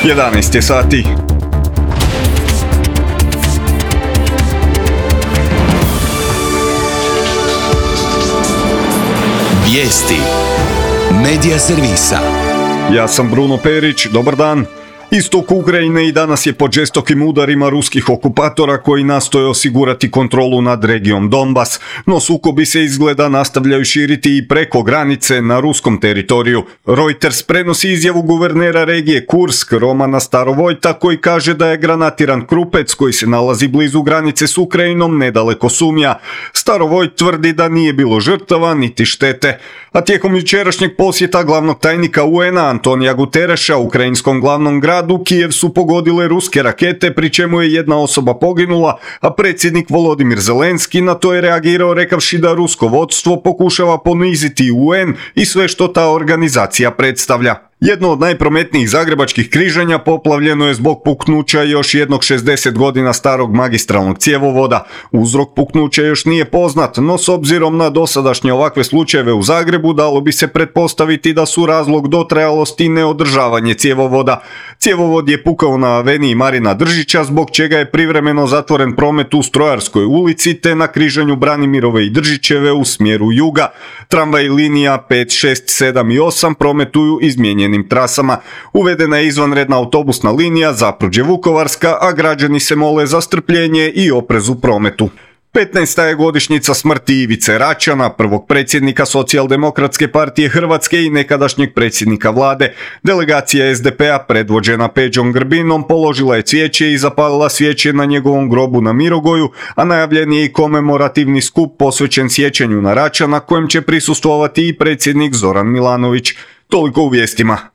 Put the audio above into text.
11 je sati. Vijesti Medija servisa. Ja sam Bruno Perić, dobar dan. Istok Ukrajine i danas je pod žestokim udarima ruskih okupatora koji nastoje osigurati kontrolu nad regijom Donbas, no sukobi se izgleda nastavljaju širiti i preko granice na ruskom teritoriju. Reuters prenosi izjavu guvernera regije Kursk Romana Starovojta koji kaže da je granatiran Krupec koji se nalazi blizu granice s Ukrajinom nedaleko Sumja. Starovojt tvrdi da nije bilo žrtava niti štete. A tijekom jučerašnjeg posjeta glavnog tajnika UN-a Antonija Gutereša ukrajinskom glavnom gradu Kijev su pogodile ruske rakete, pri čemu je jedna osoba poginula, a predsjednik Volodimir Zelenski na to je reagirao rekavši da rusko vodstvo pokušava poniziti UN i sve što ta organizacija predstavlja. Jedno od najprometnijih zagrebačkih križanja poplavljeno je zbog puknuća još jednog 60 godina starog magistralnog cjevovoda. Uzrok puknuća još nije poznat, no s obzirom na dosadašnje ovakve slučajeve u Zagrebu dalo bi se pretpostaviti da su razlog dotrajalosti neodržavanje cjevovoda. Cjevovod je pukao na aveniji Marina Držića, zbog čega je privremeno zatvoren promet u Strojarskoj ulici te na križanju Branimirove i Držićeve u smjeru juga. Tramvaj linija 5, 6, 7 i 8 prometuju izmijenjenim trasama. Uvedena je izvanredna autobusna linija Zapruđe-Vukovarska, a građani se mole za strpljenje i oprez u prometu. 15. je godišnjica smrti Ivice Račana, prvog predsjednika Socijaldemokratske partije Hrvatske i nekadašnjeg predsjednika vlade. Delegacija SDP-a predvođena Peđom Grbinom položila je cvijeće i zapalila svijeće na njegovom grobu na Mirogoju, a najavljen je i komemorativni skup posvećen sjećanju na Račana kojem će prisustvovati i predsjednik Zoran Milanović. Toliko u vijestima.